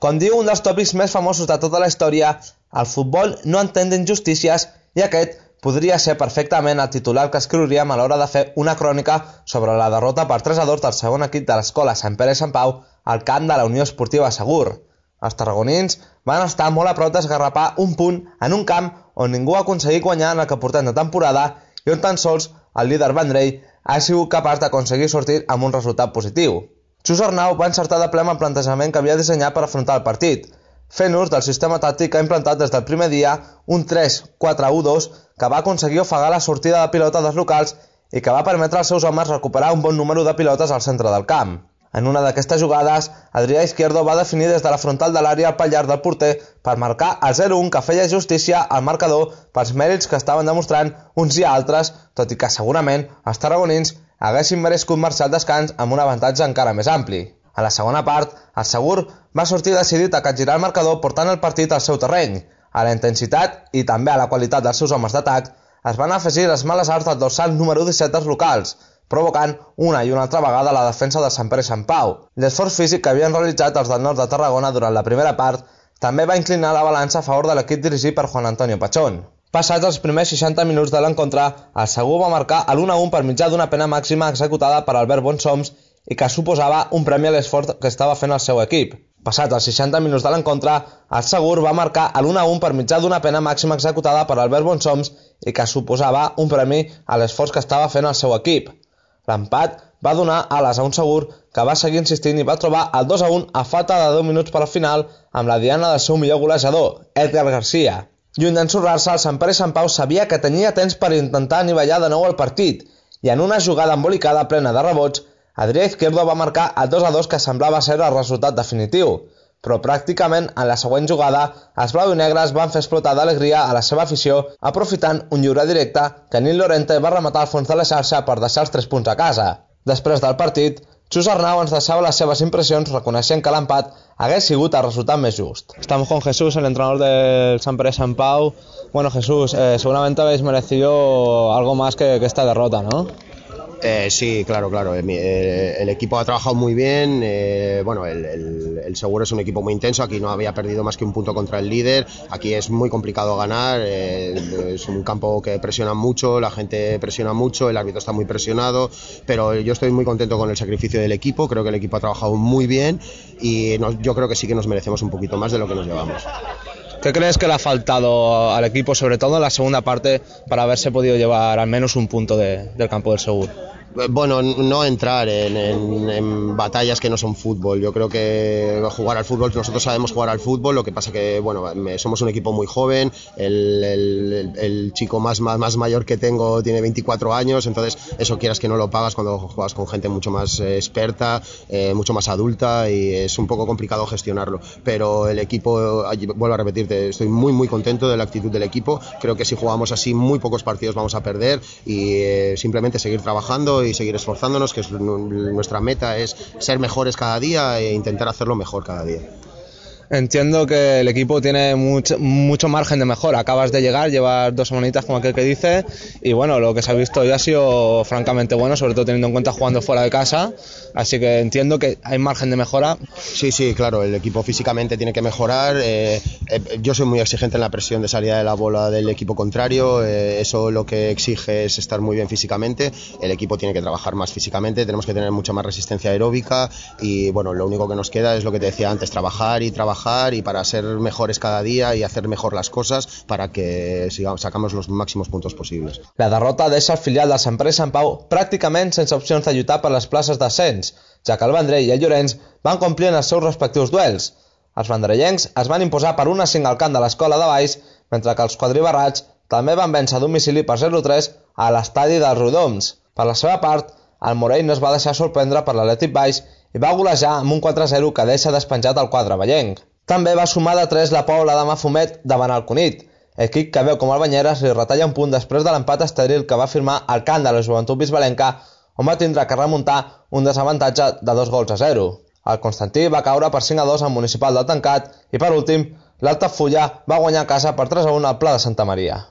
Com diu un dels tòpics més famosos de tota la història, el futbol no entén d'injustícies i aquest podria ser perfectament el titular que escriuríem a l'hora de fer una crònica sobre la derrota per 3-2 del segon equip de l'escola Sant Pere i Sant Pau al camp de la Unió Esportiva Segur. Els tarragonins van estar molt a prop d'esgarrapar un punt en un camp on ningú ha aconseguit guanyar en el que portem de temporada i on tan sols el líder Vendrell ha sigut capaç d'aconseguir sortir amb un resultat positiu. Xus Arnau va encertar de ple amb el plantejament que havia dissenyat per afrontar el partit, fent ús del sistema tàctic que ha implantat des del primer dia, un 3-4-1-2 que va aconseguir ofegar la sortida de pilota dels locals i que va permetre als seus homes recuperar un bon número de pilotes al centre del camp. En una d'aquestes jugades, Adrià Izquierdo va definir des de la frontal de l'àrea el pal llarg del porter per marcar el 0-1 que feia justícia al marcador pels mèrits que estaven demostrant uns i altres, tot i que segurament els tarragonins haguessin merescut marxar al descans amb un avantatge encara més ampli. A la segona part, el Segur va sortir decidit a capgirar el marcador portant el partit al seu terreny. A la intensitat i també a la qualitat dels seus homes d'atac es van afegir les males arts del dorsal número 17 dels locals, provocant una i una altra vegada la defensa del Sant Pere i Sant Pau. L'esforç físic que havien realitzat els del nord de Tarragona durant la primera part també va inclinar la balança a favor de l'equip dirigit per Juan Antonio Pachón. Passats els primers 60 minuts de l'encontre, el Segur va marcar l'1-1 per mitjà d'una pena màxima executada per Albert Bonsoms i que suposava un premi a l'esforç que estava fent el seu equip. Passats els 60 minuts de l'encontre, el Segur va marcar l'1-1 per mitjà d'una pena màxima executada per Albert Bonsoms i que suposava un premi a l'esforç que estava fent el seu equip. L'empat va donar ales a un Segur que va seguir insistint i va trobar el 2-1 a falta de 10 minuts per al final amb la diana del seu millor golejador, Edgar García. Lluny d'ensorrar-se, el Sant Pere i Sant Pau sabia que tenia temps per intentar anivellar de nou el partit i en una jugada embolicada plena de rebots, Adrià Izquierdo va marcar el 2-2 que semblava ser el resultat definitiu, però pràcticament en la següent jugada els blau i negres van fer explotar d'alegria a la seva afició aprofitant un lliure directe que Nil Lorente va rematar al fons de la xarxa per deixar els 3 punts a casa. Després del partit, Xus Arnau ens deixava las seves impresiones reconeixent que l'empat hagués sigut el resultat més just. Estamos con Jesús, el entrenador del Sant Pere Sant Pau. Bueno, Jesús, seguramente habéis merecido algo más que esta derrota, ¿no? Sí, claro. El equipo ha trabajado muy bien. Bueno, el Segur es un equipo muy intenso. Aquí no había perdido más que un punto contra el líder. Aquí es muy complicado ganar. Es un campo que presiona mucho, la gente presiona mucho, el árbitro está muy presionado. Pero yo estoy muy contento con el sacrificio del equipo. Creo que el equipo ha trabajado muy bien y yo creo que sí que nos merecemos un poquito más de lo que nos llevamos. ¿Qué crees que le ha faltado al equipo, sobre todo en la segunda parte, para haberse podido llevar al menos un punto del campo del Segur? Bueno, no entrar en batallas que no son fútbol. Yo creo que jugar al fútbol, nosotros sabemos jugar al fútbol, lo que pasa que bueno, somos un equipo muy joven, el chico más mayor que tengo tiene 24 años, entonces eso quieras que no lo pagas cuando juegas con gente mucho más experta, mucho más adulta y es un poco complicado gestionarlo. Pero el equipo, vuelvo a repetirte, estoy muy contento de la actitud del equipo. Creo que si jugamos así muy pocos partidos vamos a perder y simplemente seguir trabajando y seguir esforzándonos, que nuestra meta es ser mejores cada día e intentar hacerlo mejor cada día. Entiendo que el equipo tiene mucho margen de mejora. Acabas de llegar, llevas 2 semanitas como aquel que dice, y bueno, lo que se ha visto hoy ha sido francamente bueno, sobre todo teniendo en cuenta jugando fuera de casa, así que entiendo que hay margen de mejora. Sí, claro, el equipo físicamente tiene que mejorar. Yo soy muy exigente en la presión de salida de la bola del equipo contrario, eso lo que exige es estar muy bien físicamente. El equipo tiene que trabajar más físicamente, tenemos que tener mucha más resistencia aeróbica y bueno, lo único que nos queda es lo que te decía antes, trabajar y para ser mejores cada día y hacer mejor las cosas para que sacamos los máximos puntos posibles. La derrota deixa el filial del Sant Pere i Sant Pau pràcticament sense opcions de lluitar per les places d'ascens, ja que el Vendrell i el Llorenç van complir en els seus respectius duels. Els vendrellencs es van imposar per 1-5 al camp de l'Escola de Baix, mentre que els quadribarrats també van vèncer a domicili per 0-3 a l'estadi dels Riudoms. Per la seva part, el Morell no es va deixar sorprendre per l'Atlètic Baix i va golejar amb un 4-0 que deixa despenjat el quadre ballenc. També va sumar de 3 la Pobla de Mafumet davant el Cunit, equip que veu com el Banyeres li retalla un punt després de l'empat estèril que va firmar al camp de la Joventut Bisbalenca, on va tindre que remuntar un desavantatge de 2-0. El Constantí va caure per 5-2 al Municipal del Tancat i per últim, l'Altafulla va guanyar a casa per 3-1 al Pla de Santa Maria.